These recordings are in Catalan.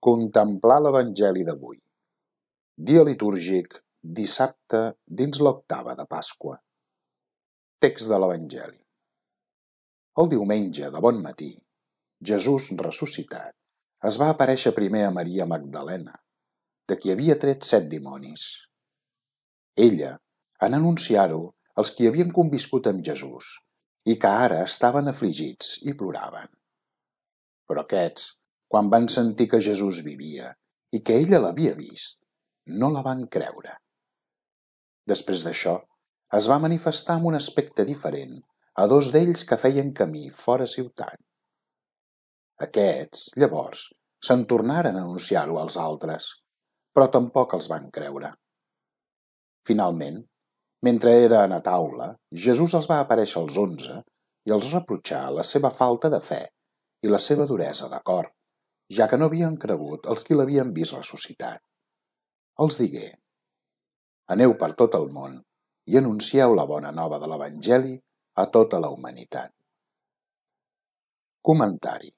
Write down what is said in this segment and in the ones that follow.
Contemplar l'Evangeli d'avui. Dia litúrgic, dissabte dins l'octava de Pasqua. Text de l'Evangeli. El diumenge de bon matí, Jesús ressuscitat es va aparèixer primer a Maria Magdalena, de qui havia tret 7 dimonis. Ella, en anunciar-ho als qui havien conviscut amb Jesús i que ara estaven afligits i ploraven. Però aquests, quan van sentir que Jesús vivia i que ella l'havia vist, no la van creure. Després d'això, es va manifestar amb un aspecte diferent a 2 d'ells que feien camí fora ciutat. Aquests, llavors, se'n tornaren a anunciar-ho als altres, però tampoc els van creure. Finalment, mentre eren a taula, Jesús els va aparèixer als 11 i els reprotxà la seva falta de fe i la seva duresa de cor, ja que no havien cregut els qui l'havien vist ressuscitat. Els digué: aneu per tot el món i anuncieu la bona nova de l'Evangeli a tota la humanitat. Comentari.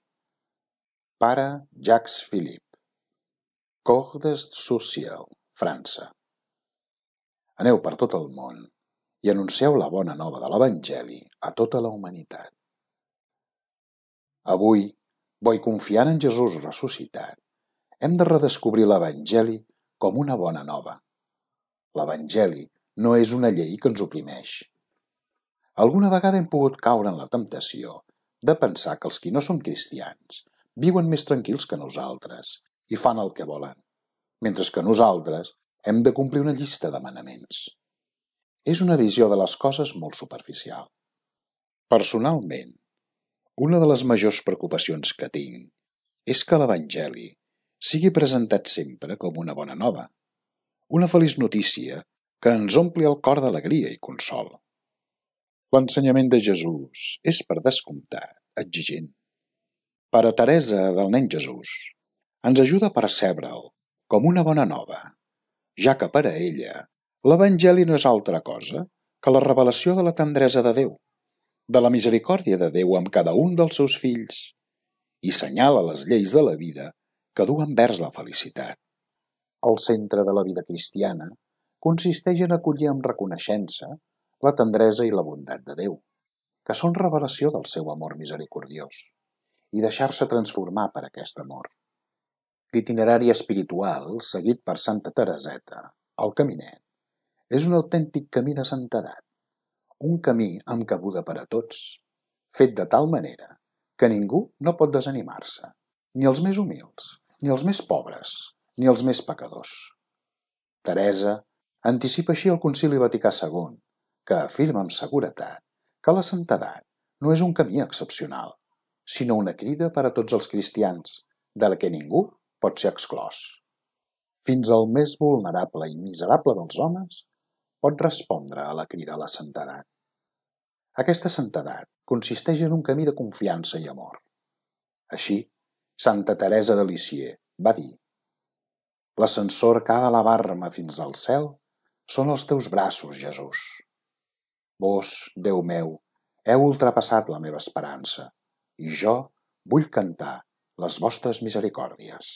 Pare Jacques Philippe, Cordes-sur-Ciel, França. Aneu per tot el món i anuncieu la bona nova de l'Evangeli a tota la humanitat. Avui, bo i confiant en Jesús ressuscitat, hem de redescobrir l'Evangeli com una bona nova. L'Evangeli no és una llei que ens oprimeix. Alguna vegada hem pogut caure en la temptació de pensar que els qui no són cristians viuen més tranquils que nosaltres i fan el que volen, mentre que nosaltres hem de complir una llista de manaments. És una visió de les coses molt superficial. Personalment, una de les majors preocupacions que tinc és que l'Evangeli sigui presentat sempre com una bona nova, una feliç notícia que ens ompli el cor d'alegria i consol. L'ensenyament de Jesús és, per descomptat, exigent. Però Teresa del Nen Jesús ens ajuda a percebre'l com una bona nova, ja que per a ella l'Evangeli no és altra cosa que la revelació de la tendresa de Déu, de la misericòrdia de Déu amb cada un dels seus fills, i senyala les lleis de la vida que duen vers la felicitat. El centre de la vida cristiana consisteix en acollir amb reconeixença la tendresa i la bondat de Déu, que són revelació del seu amor misericordiós, i deixar-se transformar per aquest amor. L'itinerari espiritual seguit per Santa Tereseta, el Caminet, és un autèntic camí de santedat, un camí amb cabuda per a tots, fet de tal manera que ningú no pot desanimar-se, ni els més humils, ni els més pobres, ni els més pecadors. Teresa anticipa així el Concili Vaticà II, que afirma amb seguretat que la santedat no és un camí excepcional, sinó una crida per a tots els cristians, de la que ningú pot ser exclòs. Fins al més vulnerable i miserable dels homes pot respondre a la crida a la santedat. Aquesta santedat consisteix en un camí de confiança i amor. Així, Santa Teresa de Lisieux va dir: l'ascensor que ha d'elevar-me fins al cel són els teus braços, Jesús. Vos, Déu meu, heu ultrapassat la meva esperança, i jo vull cantar les vostres misericòrdies.